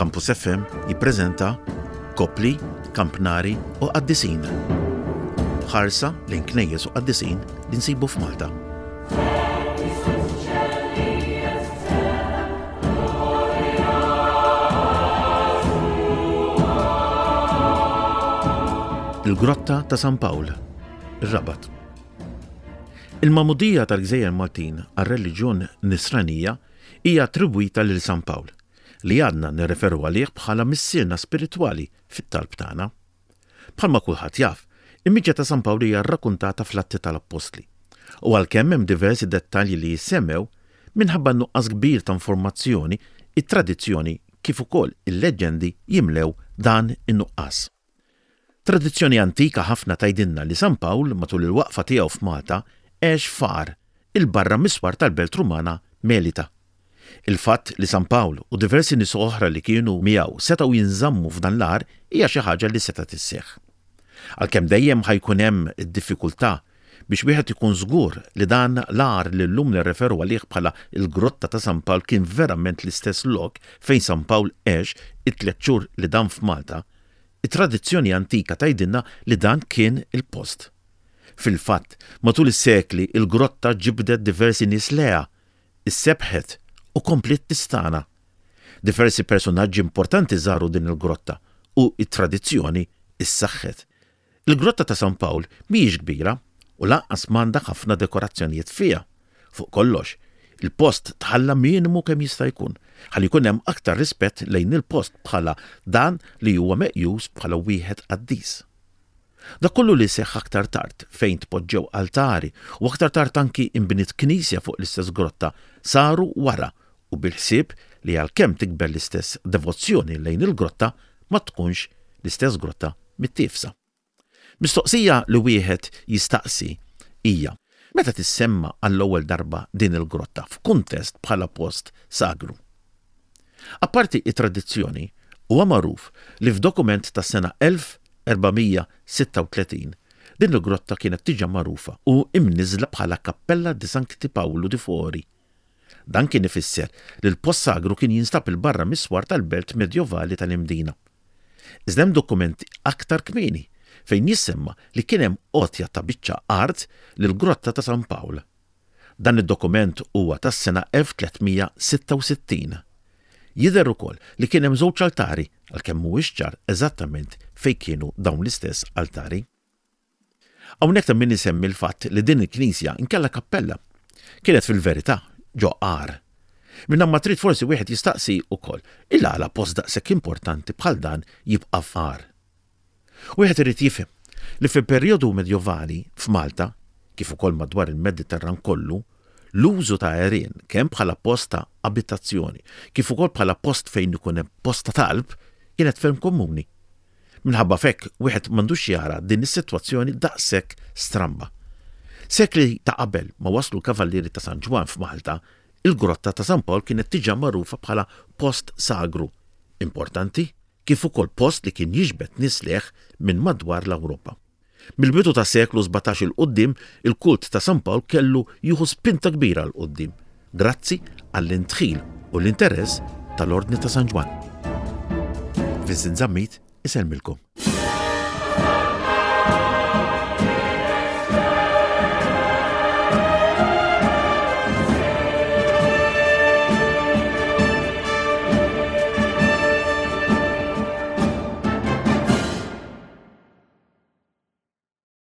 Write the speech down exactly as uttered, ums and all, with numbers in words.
Campus F M jippreżenta Kopli, Kampnari u Qaddisin. Ħarsa lejn knejjes u qaddisin li nsibu f'Malta. Il-Grotta ta' San Pawl, ir-Rabat. Il-magħmudija tal-Gżejjer Maltin għar-reliġjon Nisranija hija attribwita lil San Pawl, li għadna nirreferu għalih bħala missierna spiritwali fit-talb tagħna. Bħalma kulħadd jaf, il-miġja ta' San Pawl hija rrakkuntata fl-Atti tal-Appostli. U għalkemm hemm diversi dettalji li jissemmew, minħabba nuqqas kbir ta' informazzjoni, it-tradizzjoni kif ukoll il-leġġendi jimlew dan in-nuqqas. Tradizzjoni antika ħafna tgħidilna li San Pawl matul il-waqfa tiegħu f'Malta għex f'għar 'il barra mis-swar tal-belt Rumana Melita. Il-fatt li San Pawl u diversi nies oħra li kienu miegħu setgħu jinżammu f'dan l-għar hija xi ħaġa li setgħet isseħħ. Għalkemm dejjem ħa jkun hemm id-diffikultà biex wieħed ikun żgur li dan l-għar li llum nirreferu għalih bħala il-Grotta ta' San Pawl kien verament l-istess lok fejn San Pawl għex it-tliet xhur li dam f'Malta, it-tradizzjoni antika tgħidilna li dan kien il-post. Fil-fatt, matul is-sekli il-grotta ġibdet diversi nies lejha, issebħet u kompliet tistagħna. Diversi personaġġi importanti żaru din il-grotta u it-tradizzjoni issaħħet. Il-Grotta ta' San Pawl mhijiex kbira u lanqas m'għandha ħafna dekorazzjonijiet fiha. Fuq kollox, il-post tħalla minimu kemm jista' jkun, ħalli jkun hemm aktar rispett lejn il-post bħala dan li huwa meqjus bħala wieħed qaddis. Dak kollu li seħħ aktar tard fejn tpoġġew altari u aktar tard anki imbniet knisja fuq l-istess grotta saru wara u bil-ħsieb li għalkemm tikber l-istess devozzjoni lejn il-grotta ma tkunx l-istess grotta mittiefsa. Mistoqsija li wieħed jistaqsi hija: meta tissemma għall-ewwel darba din il-grotta f'kuntest bħala post sagru? Apparti it-tradizzjoni, huwa magħruf li f'dokument tas-sena elf erba' mija sitta u tletin din il-grotta kienet diġà magħrufa u imniżla bħala Cappella di Sancti Paolo di Fori. Dan kien ifisser li l-post sagru kien jinstab 'il barra mis-swar tal-belt medjovali tal-Imdina. Iżda hemm dokumenti aktar kmieni fejn jissemma li kien hemm għotja ta' biċċa art lil-Grotta ta' San Pawl. Dan id-dokument huwa tas-sena elf tliet mija sitta u sittin. Jidher ukoll li kien hemm żewġ altari, għalkemm mhuwiex ċar eżattament fejn kienu dawn l-istess altari. Hawnhekk ta' min isemmi l-fatt li din il-knisja inkella kappella kienet fil-verità ġo għar. Minna ma trid forsi wieħed jistaqsi ukoll il-għala post daqshekk importanti bħal dan jibqa' f'għar. Wieħed irid jifhem li fil-perjodu medjovali f'Malta, kif ukoll madwar il-Mediterran kollu, l-użu ta' għerien kemm bħala post ta' abitazzjoni, kif ukoll bħala post fejn ikun hemm post ta' talb, kienet ferm komuni. Minħabba f'hekk wieħed m'għandux jara din is-sitwazzjoni daqshekk stramba. Sekli ta' qabel ma waslu l-Kavallieri ta' San Ġwann f'Malta, il-Grotta ta' San Pawl kienet diġà magħrufa bħala post sagru importanti, kif ukoll post li kien jiġbed nies lejh minn madwar l-Ewropa. Mill-bidu ta' seklu sbatax 'il quddiem, il-kult ta' San Pawl kellu jieħu spinta kbira 'l quddiem, grazzi għall-indħil u l-interess tal-Ordni ta' San Ġwann. Vincent Zammit isellmilkom.